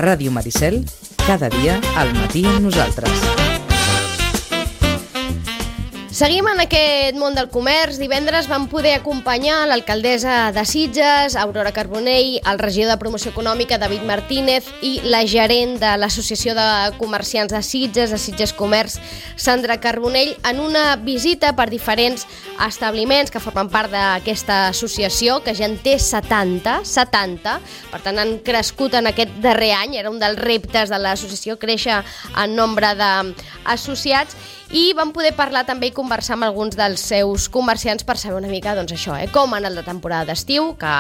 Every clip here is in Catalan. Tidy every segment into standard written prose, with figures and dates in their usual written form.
Ràdio Maricel, cada dia al matí amb nosaltres. Seguim en aquest món del comerç. Divendres vam poder acompanyar l'alcaldessa de Sitges, Aurora Carbonell, el regidor de Promoció Econòmica, David Martínez, i la gerent de l'Associació de Comerciants de Sitges Comerç, Sandra Carbonell, en una visita per diferents establiments que formen part d'aquesta associació, que ja en té 70, per tant han crescut en aquest darrer any. Era un dels reptes de l'associació, créixer en nombre d'associats, i vam poder parlar també i conversar amb alguns dels seus comerciants per saber una mica, doncs això, com ha anat la temporada d'estiu, que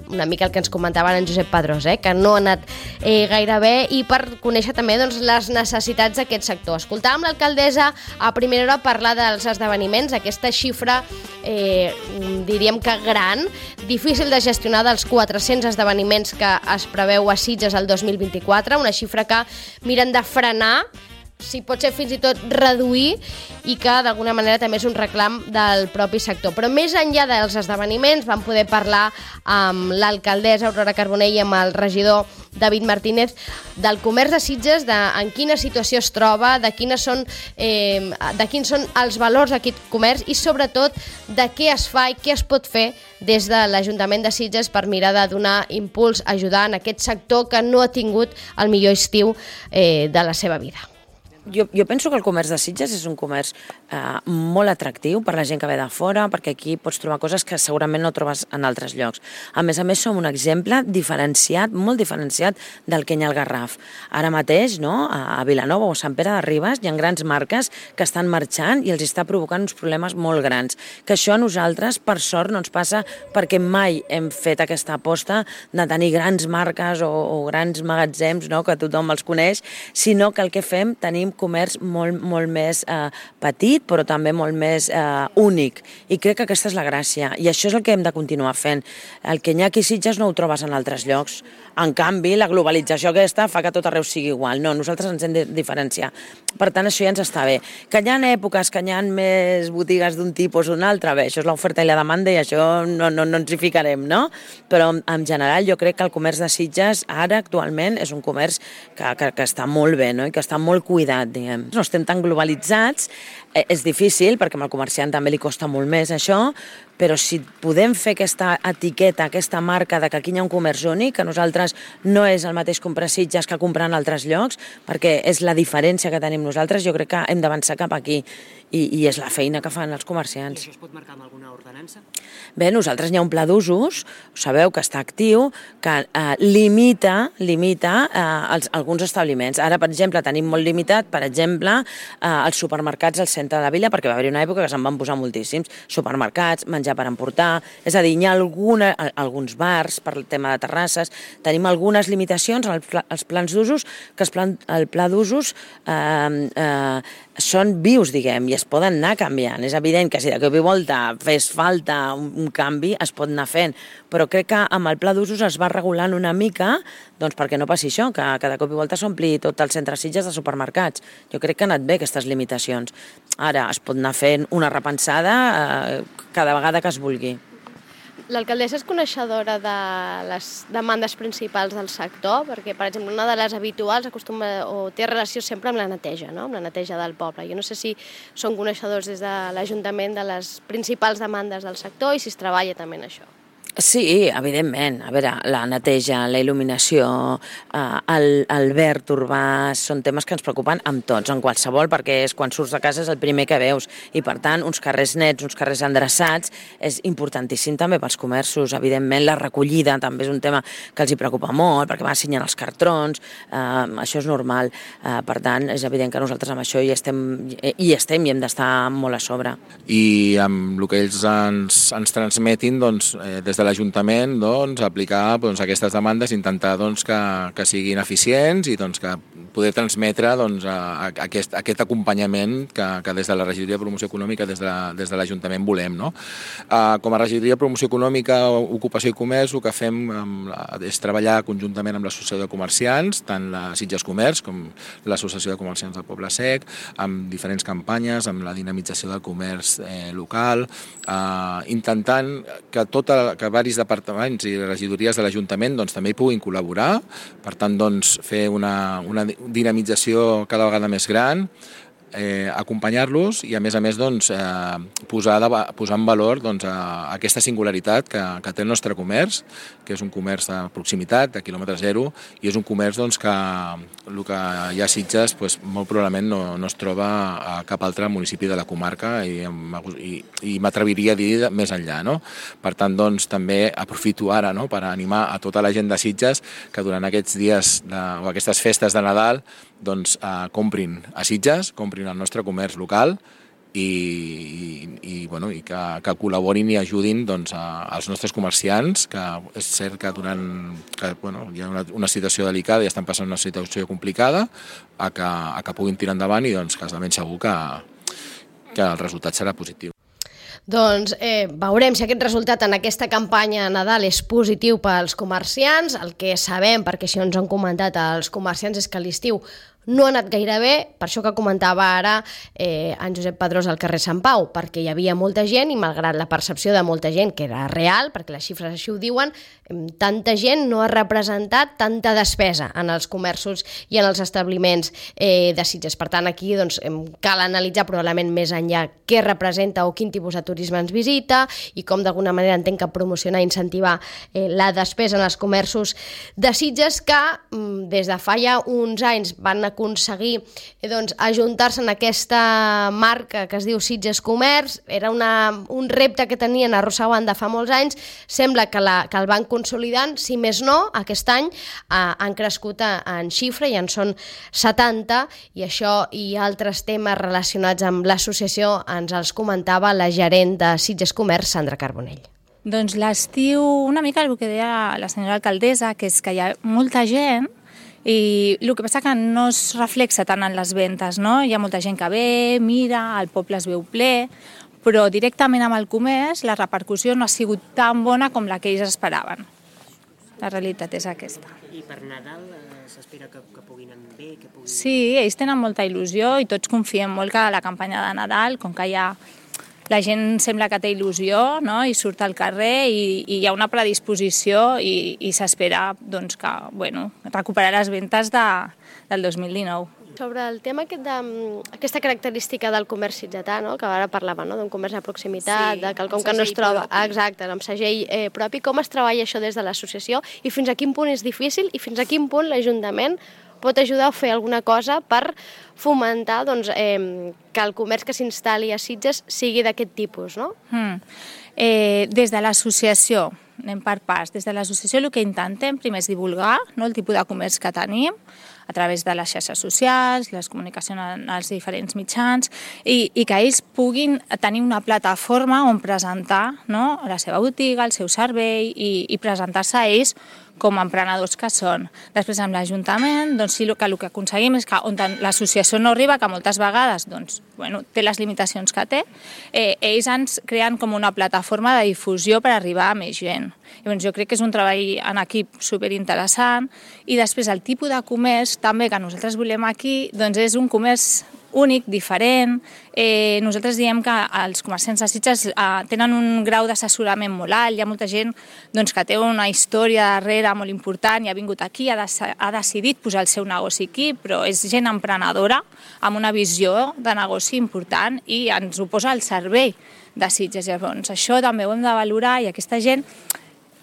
una mica el que ens comentaven en Josep Padrós, que no ha anat gaire bé, i per conèixer també doncs, les necessitats d'aquest sector. Escoltàvem l'alcaldessa a primera hora parlar dels esdeveniments, aquesta xifra diríem que gran, difícil de gestionar, dels 400 esdeveniments que es preveu a Sitges el 2024, una xifra que miren de frenar, si pot ser fins i tot reduir, i que d'alguna manera també és un reclam del propi sector. Però més enllà dels esdeveniments vam poder parlar amb l'alcaldessa Aurora Carbonell i amb el regidor David Martínez del comerç de Sitges, en quina situació es troba, de quins són els valors d'aquest comerç i sobretot de què es fa i què es pot fer des de l'Ajuntament de Sitges per mirar de donar impuls, ajudar en aquest sector que no ha tingut el millor estiu de la seva vida. Jo penso que el comerç de Sitges és un comerç molt atractiu per la gent que ve de fora, perquè aquí pots trobar coses que segurament no trobes en altres llocs. A més, som un exemple diferenciat, molt diferenciat del que hi ha al Garraf. Ara mateix, a Vilanova o a Sant Pere de Ribes hi ha grans marques que estan marxant i els està provocant uns problemes molt grans. Que això a nosaltres, per sort, no ens passa perquè mai hem fet aquesta aposta de tenir grans marques o grans magatzems, que tothom els coneix, sinó que el que fem, tenim comerç molt més petit, però també molt més únic. I crec que aquesta és la gràcia. I això és el que hem de continuar fent. El que hi ha aquí a Sitges no ho trobes en altres llocs. En canvi, la globalització aquesta fa que tot arreu sigui igual. No, nosaltres ens hem de diferenciar. Per tant, això ja ens està bé. Que hi ha èpoques que hi ha més botigues d'un tipus o d'un altre, bé, això és l'oferta i la demanda i això no ens hi ficarem, no? Però en general jo crec que el comerç de Sitges ara actualment és un comerç que està molt bé, i que està molt cuidat, diguem. No estem tan globalitzats, és difícil perquè al comerciant també li costa molt més això, però si podem fer aquesta etiqueta, aquesta marca de que aquí hi ha un comerç únic, que nosaltres no és el mateix comprar Sitges que comprar en altres llocs, perquè és la diferència que tenim nosaltres, jo crec que hem d'avançar cap aquí. I és la feina que fan els comerciants. I això es pot marcar amb alguna ordenança? Bé, nosaltres hi ha un pla d'usos, sabeu que està actiu, que limita alguns establiments. Ara, per exemple, tenim molt limitat, per exemple, els supermercats al centre de la vila, perquè va haver-hi una època que se'n van posar moltíssims. Supermercats, menjar per emportar, és a dir, hi ha alguns bars per el tema de terrasses, tenim algunes limitacions als plans d'usos, que el pla d'usos són vius, diguem, i es poden anar canviant. És evident que si de cop i volta fes falta un canvi, es pot anar fent. Però crec que amb el pla d'usos es va regulant una mica, doncs perquè no passi això, que de cop i volta s'ompli tot el centre Sitges de supermercats. Jo crec que han anat bé aquestes limitacions. Ara es pot anar fent una repensada cada vegada que es vulgui. L'alcaldessa és coneixedora de les demandes principals del sector, perquè, per exemple, una de les habituals té relació sempre amb la neteja, amb la neteja del poble. Jo no sé si són coneixedors des de l'Ajuntament de les principals demandes del sector i si es treballa també en això. Sí, evidentment. A veure, la neteja, la il·luminació, el verd urbà, són temes que ens preocupen amb tots, en qualsevol, perquè quan surts de casa és el primer que veus. I, per tant, uns carrers nets, uns carrers endreçats, és importantíssim també pels comerços. Evidentment, la recollida també és un tema que els hi preocupa molt, perquè van assenyant els cartrons, això és normal. Per tant, és evident que nosaltres amb això hi estem i hem d'estar molt a sobre. I amb el que ells ens transmetin, doncs, des de l'Ajuntament, aplicar aquestes demandes, intentar que siguin eficients i que poder transmetre aquest acompanyament que des de la Regidoria de Promoció Econòmica, des de l'Ajuntament volem. Com a Regidoria de Promoció Econòmica, Ocupació i Comerç, el que fem és treballar conjuntament amb l'Associació de Comerciants, tant la Sitges Comerç com l'Associació de Comerciants del Poble Sec, amb diferents campanyes, amb la dinamització del comerç local, intentant que diversos departaments i regidories de l'Ajuntament doncs, també hi puguin col·laborar, per tant doncs, fer una dinamització cada vegada més gran, acompanyar-los i a més doncs, posar en valor doncs, aquesta singularitat que té el nostre comerç, que és un comerç de proximitat, de quilòmetre zero, i és un comerç doncs, que el que hi ha a Sitges doncs, molt probablement no es troba a cap altre municipi de la comarca i m'atreviria a dir més enllà. No? Per tant, doncs, també aprofito ara per animar a tota la gent de Sitges que durant aquests dies o aquestes festes de Nadal doncs, comprin a Sitges, comprin al nostre comerç local i que col·laborin i ajudin doncs, als nostres comerciants, que és cert que hi ha una situació delicada i estan passant una situació complicada, a que puguin tirar endavant i doncs, que de ben segur que el resultat serà positiu. Doncs veurem si aquest resultat en aquesta campanya Nadal és positiu pels comerciants. El que sabem, perquè això ens han comentat els comerciants, és que l'estiu no ha anat gaire bé, per això que comentava ara en Josep Pedrós al carrer Sant Pau, perquè hi havia molta gent i malgrat la percepció de molta gent, que era real, perquè les xifres així ho diuen, tanta gent no ha representat tanta despesa en els comerços i en els establiments de Sitges. Per tant, aquí doncs, cal analitzar probablement més enllà què representa o quin tipus de turisme ens visita i com d'alguna manera entenc que promocionar i incentivar la despesa en els comerços de Sitges que des de fa ja uns anys van aconseguir doncs, ajuntar-se en aquesta marca que es diu Sitges Comerç. Era un repte que tenien arrossegant de fa molts anys. Sembla que el van consolidant, si més no, aquest any han crescut en xifra i en són 70, i això i altres temes relacionats amb l'associació ens els comentava la gerent de Sitges Comerç, Sandra Carbonell. Doncs l'estiu, una mica el que deia la senyora alcaldessa, que és que hi ha molta gent i el que passa que no es reflexa tant en les ventes, no? Hi ha molta gent que ve, mira, el poble es veu ple, però directament amb el comerç la repercussió no ha sigut tan bona com la que ells esperaven. La realitat és aquesta. I per Nadal s'espera que puguin anar bé? Sí, ells tenen molta il·lusió i tots confiem molt que la campanya de Nadal, com que la gent sembla que té il·lusió, no? I surt al carrer i hi ha una predisposició i s'espera doncs, que recuperar les ventes del 2019. Sobre el tema aquesta característica del comerç sitgetà, no? Que ara parlava d'un comerç de proximitat, de quelcom que no es troba... Exacte, amb segell propi. Com es treballa això des de l'associació i fins a quin punt és difícil i fins a quin punt l'Ajuntament pot ajudar a fer alguna cosa per fomentar que el comerç que s'instal·li a Sitges sigui d'aquest tipus, no? Des de l'associació, anem per parts, des de l'associació el que intentem primer és divulgar el tipus de comerç que tenim a través de les xarxes socials, les comunicacions en els diferents mitjans i que ells puguin tenir una plataforma on presentar la seva botiga, el seu servei i presentar-se a ells com a emprenedors que són. Després amb l'Ajuntament, doncs sí, el que aconseguim és que on l'associació no arriba, que moltes vegades té les limitacions que té, ells ens creen com una plataforma de difusió per arribar a més gent. Llavors jo crec que és un treball en equip superinteressant i després el tipus de comerç també que nosaltres volem aquí doncs és un comerç únic, diferent. Nosaltres diem que els comerciants de Sitges tenen un grau d'assessorament molt alt, hi ha molta gent que té una història darrere molt important i ha vingut aquí, ha decidit posar el seu negoci aquí, però és gent emprenedora amb una visió de negoci important i ens ho posa al servei de Sitges. Llavors això també ho hem de valorar i aquesta gent...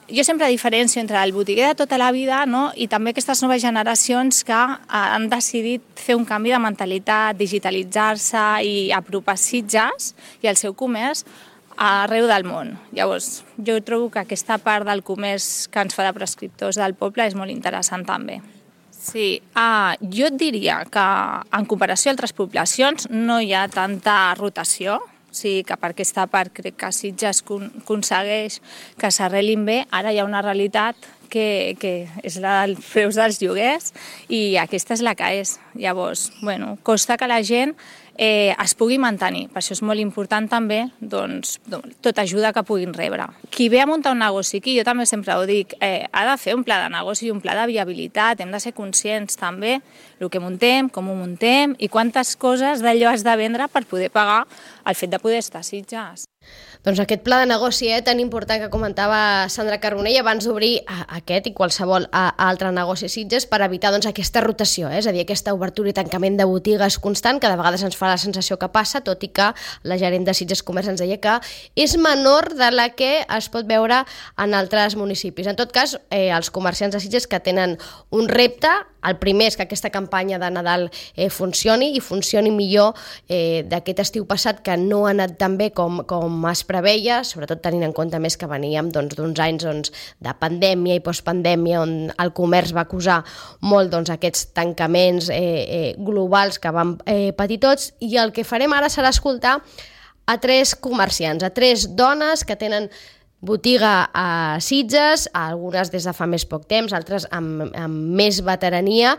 Jo sempre diferencio entre el botiguer de tota la vida i també aquestes noves generacions que han decidit fer un canvi de mentalitat, digitalitzar-se i apropar Sitges i el seu comerç arreu del món. Llavors, jo trobo que aquesta part del comerç que ens fa de prescriptors del poble és molt interessant també. Sí, jo et diria que en comparació a altres poblacions no hi ha tanta rotació. Sí, que per aquesta part crec que Sitges aconsegueix que s'arrelin bé. Ara hi ha una realitat que és la dels preus dels lloguers i aquesta és la que és. Llavors, costa que la gent es pugui mantenir. Per això és molt important també tota ajuda que puguin rebre. Qui ve a muntar un negoci aquí, jo també sempre ho dic, ha de fer un pla de negoci i un pla de viabilitat. Hem de ser conscients també el que muntem, com ho muntem i quantes coses d'allò has de vendre per poder pagar el fet de poder estar a Sitges. Doncs aquest pla de negoci tan important que comentava Sandra Carbonell abans d'obrir aquest i qualsevol altre negoci a Sitges per evitar aquesta rotació, és a dir, aquesta obertura i tancament de botigues constant que de vegades ens fa la sensació que passa, tot i que la gerent de Sitges Comerç ens deia que és menor de la que es pot veure en altres municipis. En tot cas, els comerciants de Sitges que tenen un repte, el primer és que aquesta campanya de Nadal funcioni i funcioni millor d'aquest estiu passat que no ha anat tan bé com es preveia, sobretot tenint en compte més que veníem d'uns anys de pandèmia i postpandèmia on el comerç va acusar molt aquests tancaments globals que vam patir tots, i el que farem ara serà escoltar a 3 comerciants, a 3 dones que tenen botiga a Sitges, algunes des de fa més poc temps, altres amb més veterania.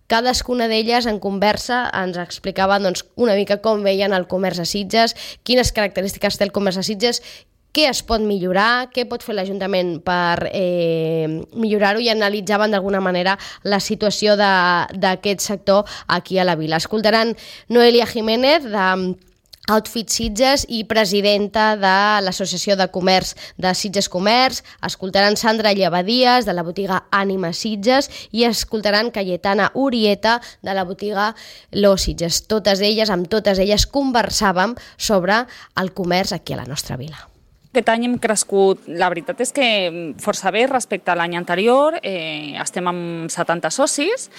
Cadascuna d'elles en conversa ens explicaven una mica com veien el comerç a Sitges, quines característiques té el comerç a Sitges, què es pot millorar, què pot fer l'Ajuntament per millorar-ho, i analitzaven d'alguna manera la situació d'aquest sector aquí a la vila. Escoltaran Noelia Jiménez de Outfit Sitges i presidenta de l'Associació de Comerç de Sitges Comerç, escoltaran Sandra Llevadies de la botiga Ànima Sitges i escoltaran Cayetana Urieta de la botiga Lo Sitges. Amb totes elles conversàvem sobre el comerç aquí a la nostra vila. Aquest any hem crescut, la veritat és que força bé respecte a l'any anterior, estem amb 70 socis,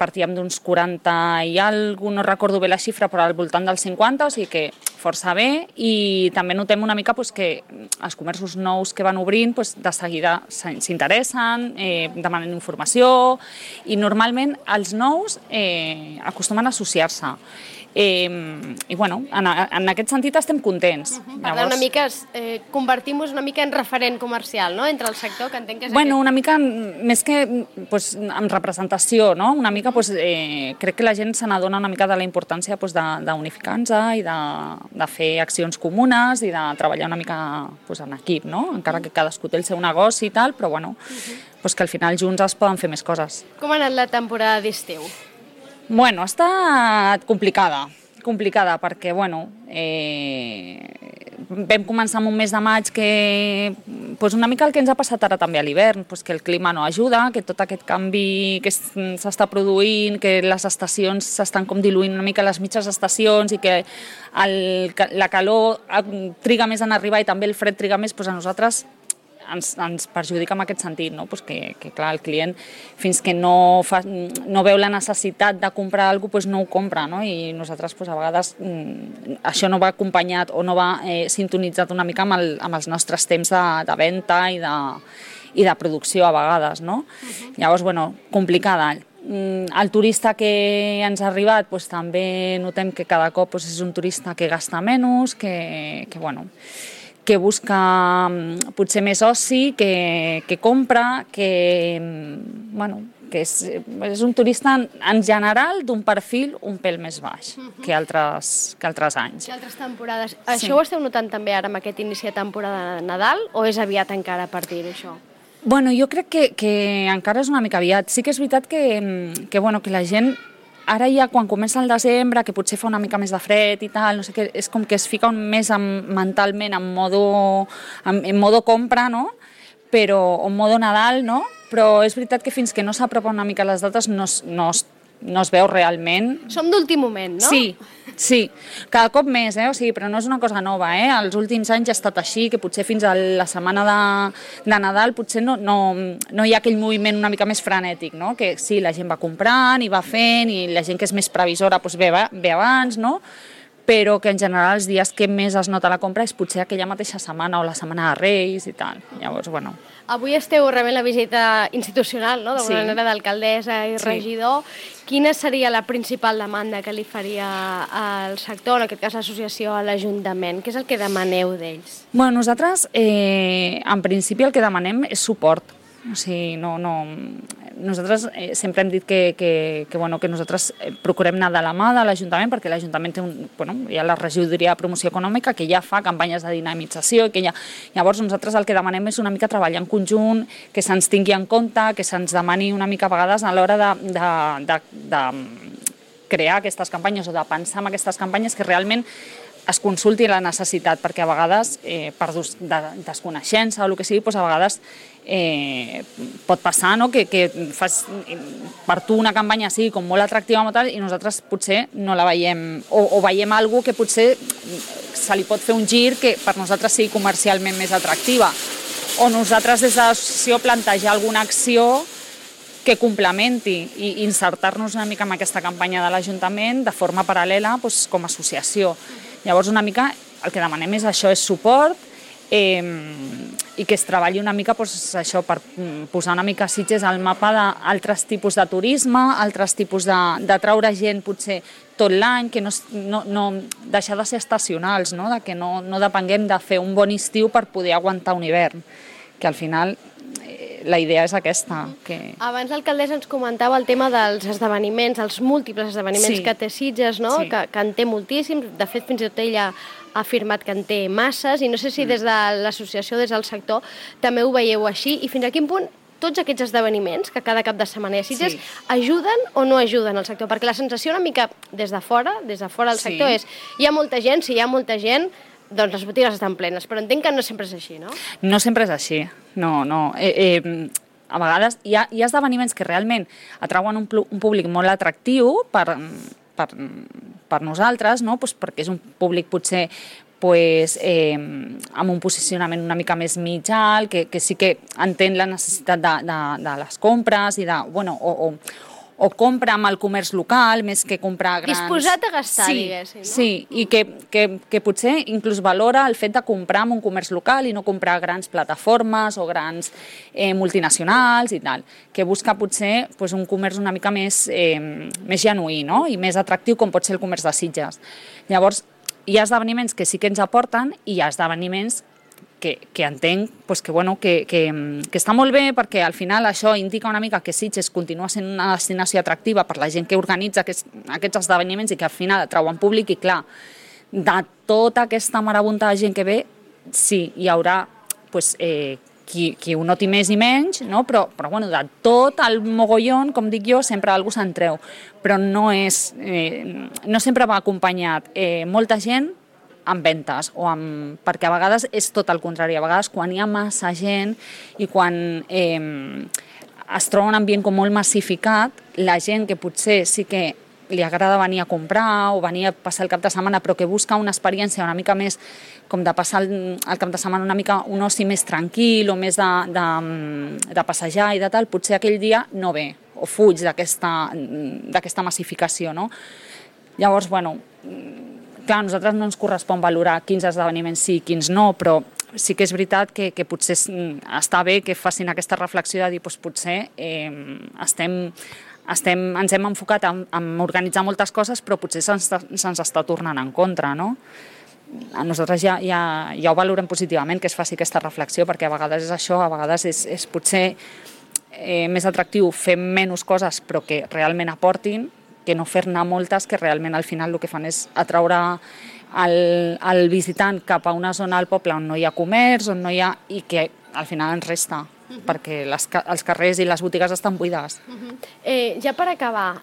partíem d'uns 40 i alguna, no recordo bé la xifra, però al voltant dels 50, o sigui que força bé, i també notem una mica que els comerços nous que van obrint de seguida s'interessen, demanen informació, i normalment els nous acostumen a associar-se. I bueno, en aquest sentit estem contents. Per tant, una mica convertim-nos una mica en referent comercial, no?, entre el sector, que entenc que és bueno, una mica més que amb representació, no? Una mica crec que la gent se n'adona una mica de la importància d'unificar-nos i de fer accions comunes i de treballar una mica en equip, no? Encara que cadascú té el seu negoci i tal, però bueno, que al final junts es poden fer més coses. Com ha anat la temporada d'estiu? Bueno, ha estat complicada perquè, bueno, vam començar amb un mes de maig que, una mica el que ens ha passat ara també a l'hivern, que el clima no ajuda, que tot aquest canvi que s'està produint, que les estacions s'estan com diluint una mica les mitges estacions i que la calor triga més en arribar i també el fred triga més, a nosaltres ens perjudica en aquest sentit, no? Que clar, el client fins que no veu la necessitat de comprar alguna cosa, no ho compra, no? I nosaltres a vegades això no va acompanyat o no va sintonitzat una mica amb els nostres temps de venda i de producció a vegades, no? Llavors, bueno, complicada. El turista que ens ha arribat també notem que cada cop és un turista que gasta menys, que busca potser més oci, que compra, que és un turista en general d'un perfil un pèl més baix que altres anys. Que altres temporades. Això ho esteu notant també ara amb aquest inici de temporada de Nadal o és aviat encara per dir-ho, això? Bueno, jo crec que encara és una mica aviat. Sí que és veritat que la gent ara ja quan comença el desembre, que potser fa una mica més de fred i tal, no sé què, és com que es fica més mentalment en modo compra, no? Però en modo Nadal, no? Però és veritat que fins que no s'apropa una mica les dates no es veu realment. Som d'últim moment, no? Sí. Cada cop més, o sigui, però no és una cosa nova, Els últims anys ha estat així, que potser fins a la setmana de Nadal potser no hi ha aquell moviment una mica més frenètic, no? Que sí, la gent va comprant i va fent, i la gent que és més previsora ve abans, no? Però que en general els dies que més es nota la compra és potser aquella mateixa setmana o la setmana de Reis i tal. Llavors, bueno. Avui esteu rebent la visita institucional, no?, d'alguna manera, d'alcaldessa i regidor. Quina seria la principal demanda que li faria al sector, en aquest cas l'associació, a l'Ajuntament? Què és el que demaneu d'ells? Bueno, nosaltres, en principi, el que demanem és suport. O sigui, nosaltres sempre hem dit que nosaltres procurem anar de la mà de l'Ajuntament, perquè l'Ajuntament té hi ha la regidoria de promoció econòmica que ja fa campanyes de dinamització, llavors nosaltres el que demanem és una mica treballar en conjunt, que se'ns tingui en compte, que se'ns demani una mica a vegades a l'hora de crear aquestes campanyes o de pensar en aquestes campanyes, que realment es consulti la necessitat, perquè a vegades, per desconeixença o el que sigui, doncs a vegades pot passar, no?, que fas per tu una campanya sigui com molt atractiva i nosaltres potser no la veiem, o veiem alguna que potser se li pot fer un gir que per nosaltres sigui comercialment més atractiva, o nosaltres des de l'associació plantejar alguna acció que complementi i insertar-nos una mica en aquesta campanya de l'Ajuntament de forma paral·lela com a associació. Llavors una mica el que demanem és això, és suport, i que es treballi una mica això per posar una mica Sitges al mapa d'altres tipus de turisme, altres tipus de treure gent potser tot l'any, que no deixar de ser estacionals, no? Que no depenguem de fer un bon estiu per poder aguantar un hivern, que al final la idea és aquesta. Abans l'alcaldessa ens comentava el tema dels esdeveniments, els múltiples esdeveniments que té Sitges, no? Que en té moltíssims, de fet fins i tot ella ha afirmat que en té masses, i no sé si des de l'associació, des del sector, també ho veieu així, i fins a quin punt tots aquests esdeveniments que cada cap de setmana hi ha Sitges ajuden o no ajuden al sector? Perquè la sensació una mica des de fora del sector és, hi ha molta gent, si hi ha molta gent, doncs les botigues estan plenes, però entenc que no sempre és així, no? No sempre és així, no. A vegades hi ha esdeveniments que realment atrauen un públic molt atractiu per nosaltres, no? Perquè és un públic potser amb un posicionament una mica més mig alt, que sí que entén la necessitat de les compres i o compra amb el comerç local més que comprar grans... Disposat a gastar, diguéssim, no? Sí, i que potser inclús valora el fet de comprar en un comerç local i no comprar grans plataformes o grans multinacionals i tal, que busca potser un comerç una mica més genuí, no? I més atractiu com pot ser el comerç de Sitges. Llavors, hi ha esdeveniments que sí que ens aporten i hi ha esdeveniments que entenc que està molt bé, perquè al final això indica una mica que Sitges continua sent una destinació atractiva per la gent que organitza aquests esdeveniments i que al final atrauen públic, i clar, de tota aquesta marabunta de gent que ve, sí, hi haurà qui ho noti més i menys, no? Però de tot el mogollon, com dic jo, sempre algú se'n treu, però no sempre va acompanyat molta gent amb ventes, perquè a vegades és tot el contrari, a vegades quan hi ha massa gent i quan es troba un ambient com molt massificat, la gent que potser sí que li agrada venir a comprar o venir a passar el cap de setmana, però que busca una experiència una mica més com de passar el cap de setmana una mica un oci més tranquil o més de passejar i de tal, potser aquell dia no ve o fuig d'aquesta massificació, no? Llavors, clar, a nosaltres no ens correspon valorar quins esdeveniments sí i quins no, però sí que és veritat que potser està bé que facin aquesta reflexió de dir potser ens hem enfocat en organitzar moltes coses, però potser se'ns està tornant en contra, no? A nosaltres ja ho valorem positivament que es faci aquesta reflexió, perquè a vegades és això, a vegades és potser més atractiu fer menys coses però que realment aportin, que no fer-ne moltes que realment al final el que fan és atraure el visitant cap a una zona del poble on no hi ha comerç, on no hi ha... i que al final ens resta, perquè els carrers i les botigues estan buides. Ja per acabar,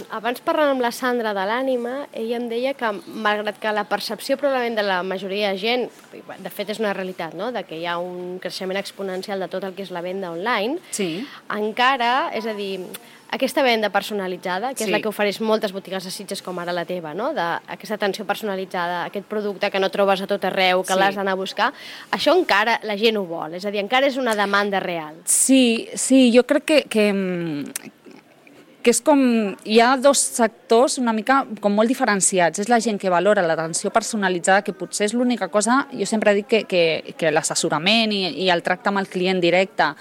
abans parlant amb la Sandra de l'Ànima, ella em deia que malgrat que la percepció probablement de la majoria de gent, de fet és una realitat, no?, de que hi ha un creixement exponencial de tot el que és la venda online, encara, és a dir, aquesta venda personalitzada, que és la que ofereix moltes botigues de Sitges com ara la teva, no?, d'aquesta atenció personalitzada, aquest producte que no trobes a tot arreu, que l'has d'anar a buscar, això encara la gent ho vol, és a dir, encara és una demanda real. Sí, jo crec que és com... Hi ha dos sectors una mica com molt diferenciats. És la gent que valora l'atenció personalitzada, que potser és l'única cosa... Jo sempre dic que l'assessorament i el tracte amb el client directe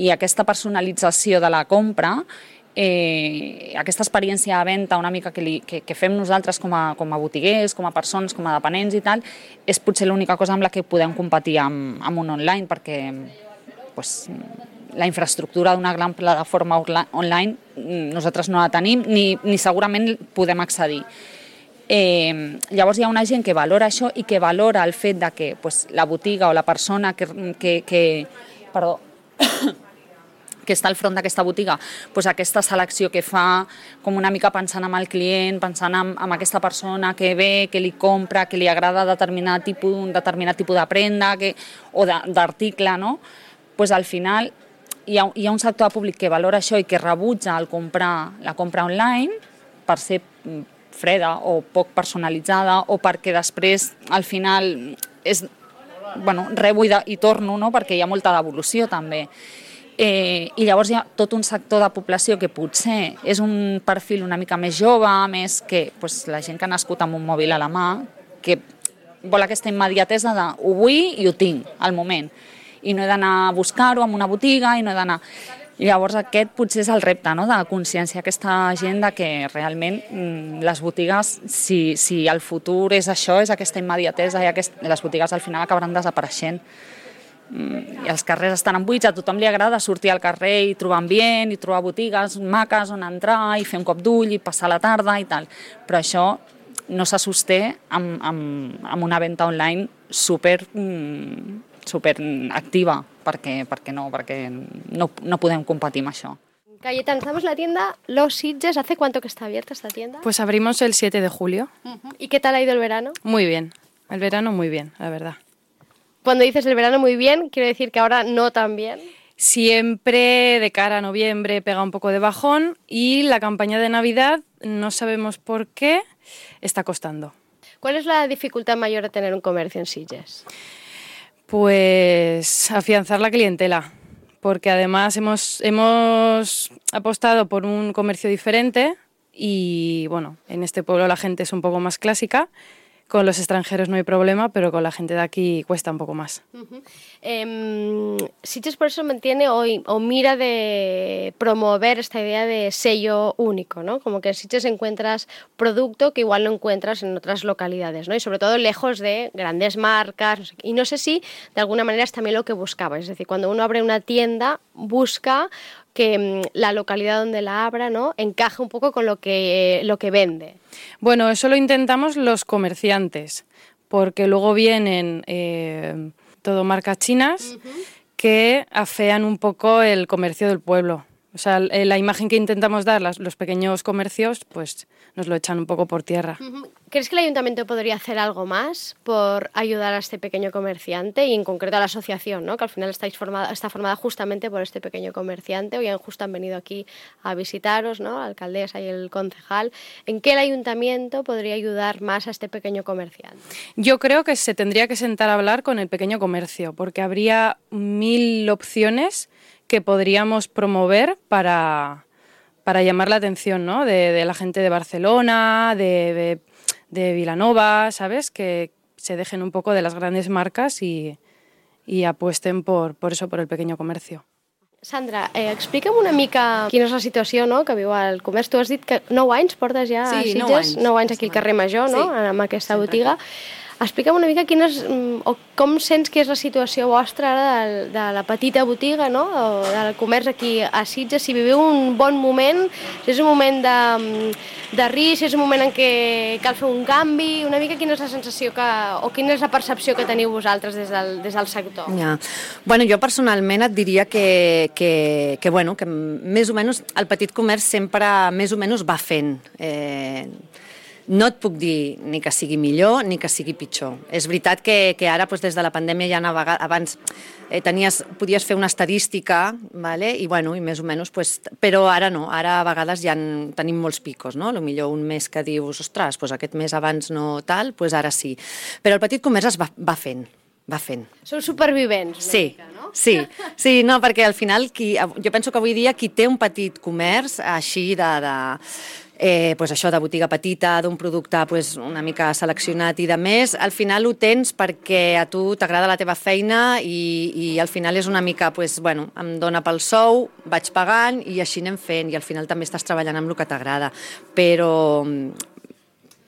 i aquesta personalització de la compra, aquesta experiència de venda una mica que fem nosaltres com a botiguers, com a persones, com a dependents i tal, és potser l'única cosa amb la que podem competir amb un online, perquè la infraestructura d'una gran plataforma online nosaltres no la tenim ni segurament podem accedir. Llavors hi ha una gent que valora això i que valora el fet de que la botiga o la persona que que està al front d'aquesta botiga, doncs aquesta selecció que fa, com una mica pensant en el client, pensant en aquesta persona que ve, que li compra, que li agrada determinat tipus de prenda o d'article, no? Doncs al final hi ha un sector de públic que valora això i que rebutja la compra online per ser freda o poc personalitzada o perquè després al final és, rebo i torno, no? Perquè hi ha molta devolució també. I llavors hi ha tot un sector de població que potser és un perfil una mica més jove, més que la gent que ha nascut amb un mòbil a la mà, que vol aquesta immediatesa de ho vull i ho tinc al moment. I no he d'anar a buscar-ho en una botiga, i no he d'anar... Llavors aquest potser és el repte, no? De conscienciar aquesta gent de que realment les botigues, si el futur és això, és aquesta immediatesa, i les botigues al final acabaran desapareixent. I els carrers estan buits, a tothom li agrada sortir al carrer i trobar ambient, i trobar botigues maques on entrar, i fer un cop d'ull, i passar la tarda i tal. Però això no se sosté amb una venda online super activa, perquè no podem competir amb això. Cayetana, estamos en la tienda Los Sitges. ¿Hace cuánto que está abierta esta tienda? Pues abrimos el 7 de julio. ¿Y qué tal ha ido el verano? Muy bien, el verano muy bien, la verdad. Cuando dices el verano muy bien, quiero decir que ahora no tan bien. Siempre de cara a noviembre pega un poco de bajón y la campaña de Navidad, no sabemos por qué, está costando. ¿Cuál es la dificultad mayor de tener un comercio en Sitges? Pues afianzar la clientela, porque además hemos apostado por un comercio diferente y bueno, en este pueblo la gente es un poco más clásica. Con los extranjeros no hay problema, pero con la gente de aquí cuesta un poco más. Sitges por eso mantiene o mira de promover esta idea de sello único, ¿no? Como que en Sitges encuentras producto que igual no encuentras en otras localidades, ¿no? Y sobre todo lejos de grandes marcas. No sé, y no sé si de alguna manera es también lo que buscaba. Es decir, cuando uno abre una tienda, busca que la localidad donde la abra, ¿no?, encaje un poco con lo que vende. Bueno, eso lo intentamos los comerciantes, porque luego vienen todo marcas chinas que afean un poco el comercio del pueblo. O sea, la imagen que intentamos dar los pequeños comercios, pues nos lo echan un poco por tierra. ¿Crees que el ayuntamiento podría hacer algo más por ayudar a este pequeño comerciante y en concreto a la asociación, ¿no?, que al final está formada justamente por este pequeño comerciante? Hoy justo han venido aquí a visitaros, ¿no?, la alcaldesa y el concejal. ¿En qué el ayuntamiento podría ayudar más a este pequeño comerciante? Yo creo que se tendría que sentar a hablar con el pequeño comercio, porque habría 1000 opciones que podríamos promover para llamar la atención, ¿no?, de la gente de Barcelona, de Vilanova, ¿sabes? Que se dejen un poco de las grandes marcas y apuesten por eso, por el pequeño comercio. Sandra, explica'm una mica quina és la situació, no?, que viu el comerç. Tu has dit que 9 anys portes ja a Sitges, 9 anys aquí al carrer Major, no?, amb aquesta botiga. Explica'm una mica com sents que és la situació vostra ara de la petita botiga, no?, o del comerç aquí a Sitges, si viviu un bon moment, si és un moment de risc, si és un moment en què cal fer un canvi, una mica quina és la sensació o quina és la percepció que teniu vosaltres des del sector? Ja. Bueno, jo personalment et diria que més o menys el petit comerç sempre més o menys va fent. No et puc dir ni que sigui millor ni que sigui pitjor. És veritat que ara, des de la pandèmia, ja abans podies fer una estadística, i més o menys, però ara no. Ara a vegades ja tenim molts picos, no? Potser un mes que dius, ostres, aquest mes abans no tal, ara sí. Però el petit comerç es va fent. Sou supervivents, una mica, no? Sí, no, perquè al final jo penso que avui dia qui té un petit comerç així això de botiga petita, d'un producte una mica seleccionat i de més, al final ho tens perquè a tu t'agrada la teva feina i al final és una mica, em dona pel sou, vaig pagant i així anem fent, i al final també estàs treballant amb el que t'agrada, però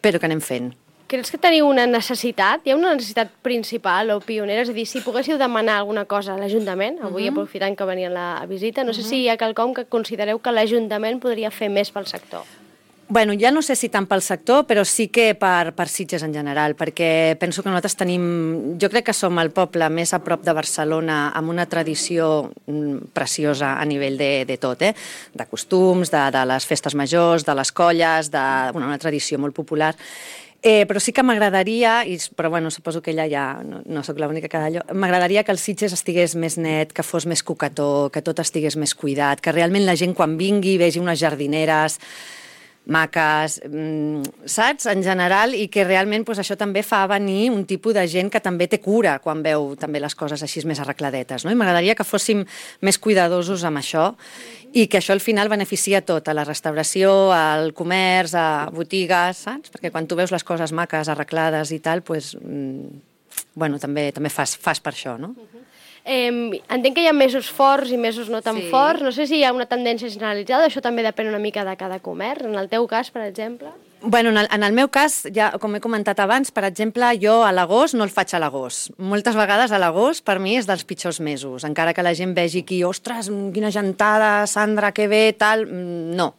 que anem fent. Creus que teniu una necessitat? Hi ha una necessitat principal o pionera? És a dir, si poguéssiu demanar alguna cosa a l'Ajuntament, avui aprofitant que venien a visita, no sé si hi ha quelcom que considereu que l'Ajuntament podria fer més pel sector. Bueno, ja no sé si tant pel sector, però sí que per Sitges en general, perquè penso que nosaltres tenim... Jo crec que som el poble més a prop de Barcelona amb una tradició preciosa a nivell de tot, de costums, de les festes majors, de les colles, una tradició molt popular. Però sí que m'agradaria, però bueno, suposo que ella ja no sóc l'única que d'allò, m'agradaria que el Sitges estigués més net, que fos més coquetó, que tot estigués més cuidat, que realment la gent quan vingui vegi unes jardineres maques, saps? En general, i que realment això també fa venir un tipus de gent que també té cura quan veu també les coses així més arregladetes, no? I m'agradaria que fóssim més cuidadosos amb això i que això al final beneficia tot, a la restauració, al comerç, a botigues, saps? Perquè quan tu veus les coses maques, arreglades i tal, bueno, també fas per això, no? Entenc que hi ha mesos forts i mesos no tan forts. No sé si hi ha una tendència generalitzada, això també depèn una mica de cada comerç. En el teu cas, per exemple? Bueno, en el meu cas, ja com he comentat abans, per exemple, jo a l'agost no el faig a l'agost. Moltes vegades a l'agost per mi és dels pitjors mesos, encara que la gent vegi aquí, ostres, quina gentada, Sandra, que bé, tal... No,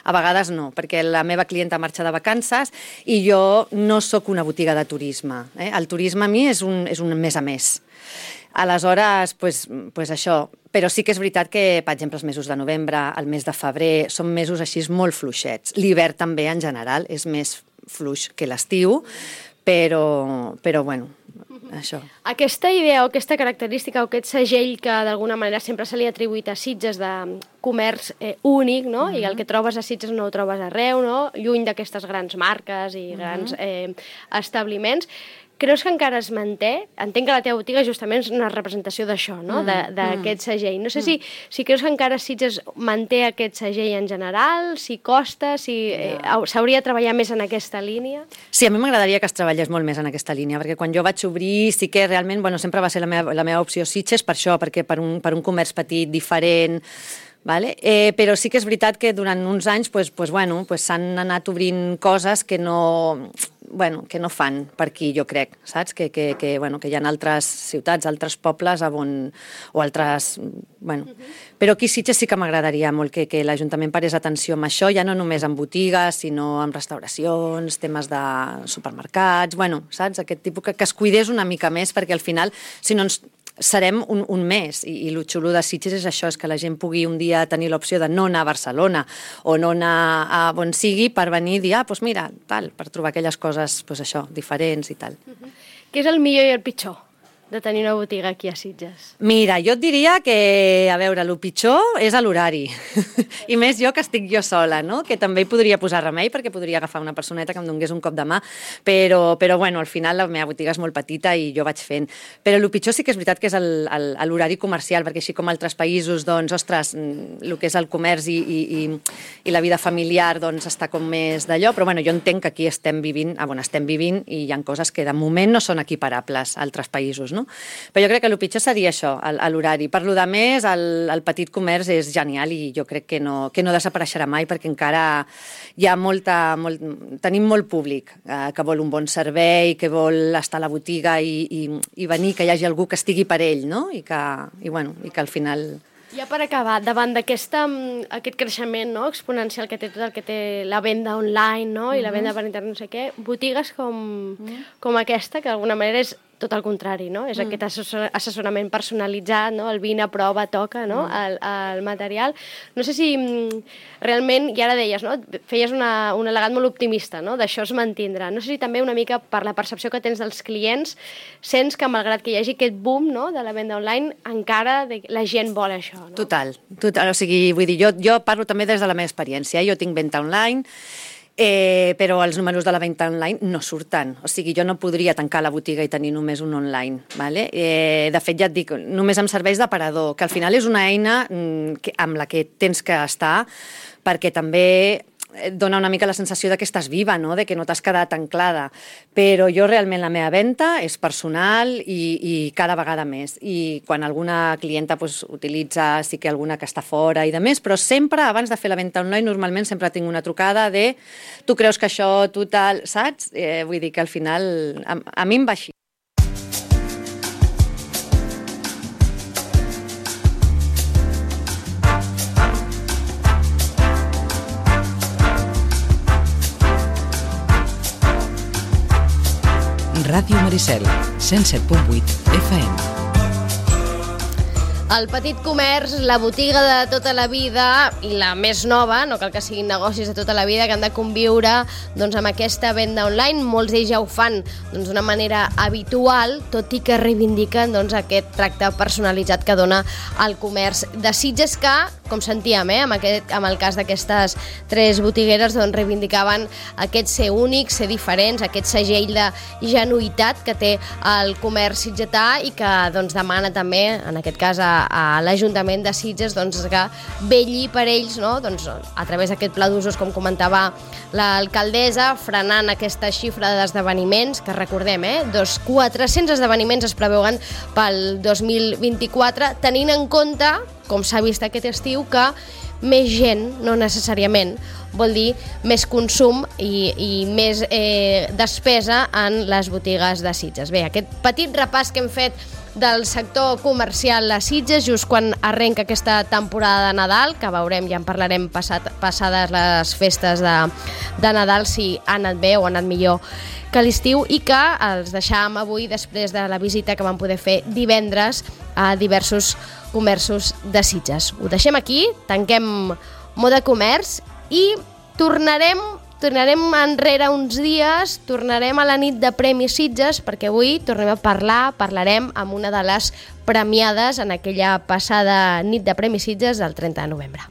a vegades no, perquè la meva clienta marxa de vacances i jo no sóc una botiga de turisme. El turisme a mi és un mes a mes. Aleshores, pues això, però sí que és veritat que, per exemple, els mesos de novembre, el mes de febrer, són mesos així molt fluixets. L'hivern també, en general, és més fluix que l'estiu, però bueno, això. Aquesta idea o aquesta característica o aquest segell que d'alguna manera sempre se li ha atribuït a Sitges de comerç únic, no? I el que trobes a Sitges no ho trobes arreu, no? Lluny d'aquestes grans marques i grans establiments. Creus que encara es manté? Entenc que la teva botiga justament és una representació d'això, no? D'aquest segell. No sé si creus que encara Sitges manté aquest segell en general, si costa, si s'hauria de treballar més en aquesta línia? Sí, a mi m'agradaria que es treballés molt més en aquesta línia, perquè quan jo vaig obrir sí que realment, bueno, sempre va ser la meva opció Sitges per això, perquè per un comerç petit, diferent... Vale? Però sí que és veritat que durant uns anys s'han anat obrint coses que no fan per aquí, jo crec, saps? Que hi ha altres ciutats, altres pobles o altres... Però aquí a Sitges sí que m'agradaria molt que l'Ajuntament parés atenció amb això, ja no només en botigues, sinó en restauracions, temes de supermercats, saps? Aquest tipus que es cuidés una mica més, perquè al final, si no ens... serem un mes, i el xulo de Sitges és això, és que la gent pugui un dia tenir l'opció de no anar a Barcelona o no anar a on sigui per venir i dir, doncs mira, tal, per trobar aquelles coses, això, diferents i tal. Què és el millor i el pitjor de tenir una botiga aquí a Sitges? Mira, jo et diria que, a veure, el pitjor és l'horari. I més jo que estic jo sola, no? Que també hi podria posar remei perquè podria agafar una personeta que em donés un cop de mà, però bueno, al final la meva botiga és molt petita i jo vaig fent. Però el pitjor sí que és veritat que és l'horari comercial, perquè així com altres països, doncs, ostres, el que és el comerç i la vida familiar, doncs, està com més d'allò, però bueno, jo entenc que aquí estem vivint i hi ha coses que de moment no són equiparables a altres països, no? Però jo crec que el pitjor seria això, l'horari. Per lo de més, el petit comerç és genial i jo crec que no desapareixerà mai perquè encara hi ha tenim molt públic que vol un bon servei, que vol estar a la botiga i venir, que hi hagi algú que estigui per ell, no? I que al final... Ja per acabar, davant d'aquest creixement exponencial que té tot el que té la venda online, no? I la venda per internet, no sé què, botigues com aquesta, que d'alguna manera és tot el contrari, no? És aquest assessorament personalitzat, no? El vine, prova, toca, no? El material. No sé si realment, i ara deies, no? Feies un al·legat molt optimista, no? D'això es mantindrà. No sé si també una mica per la percepció que tens dels clients sents que malgrat que hi hagi aquest boom, no? De la venda online, encara la gent vol això, no? Total. O sigui, vull dir, jo parlo també des de la meva experiència. Jo tinc venda online, però els números de la venda online no surten. O sigui, jo no podria tancar la botiga i tenir només un online. Vale? De fet, ja et dic, només em serveix d'aparador, que al final és una eina amb la que tens que estar, perquè també dona una mica la sensació que estàs viva, no? De que no t'has quedat anclada. Però jo realment la meva venda és personal i cada vegada més. I quan alguna clienta utilitza, sí que alguna que està fora i de més, però sempre, abans de fer la venda online, normalment sempre tinc una trucada de tu creus que això, tu tal, saps? Vull dir que al final a mi em va així. Ràdio Maricel, 107.8 FM. El petit comerç, la botiga de tota la vida i la més nova, no cal que siguin negocis de tota la vida, que han de conviure doncs, amb aquesta venda online. Molts d'ells ja ho fan d'una manera habitual, tot i que reivindiquen aquest tracte personalitzat que dona el comerç de Sitges, que, com sentíem, amb el cas d'aquestes 3 botigueres, reivindicaven aquest ser únic, ser diferents, aquest segell de genuïtat que té el comerç sitgetà i que demana també, en aquest cas, a l'Ajuntament de Sitges que vetlli per ells, a través d'aquest pla d'usos, com comentava l'alcaldessa, frenant aquesta xifra d'esdeveniments, que recordem, 400 esdeveniments es preveuen pel 2024, tenint en compte, com s'ha vist aquest estiu, que més gent, no necessàriament, vol dir més consum i més despesa en les botigues de Sitges. Bé, aquest petit repàs que hem fet del sector comercial a Sitges, just quan arrenca aquesta temporada de Nadal, que veurem, ja en parlarem passades les festes de Nadal, si ha anat bé o ha anat millor que l'estiu, i que els deixàvem avui després de la visita que vam poder fer divendres a diversos comerços de Sitges. Ho deixem aquí, tanquem Moda Comerç i tornarem enrere uns dies, tornarem a la nit de Premis Sitges, perquè avui tornem a parlarem amb una de les premiades en aquella passada nit de Premis Sitges del 30 de novembre.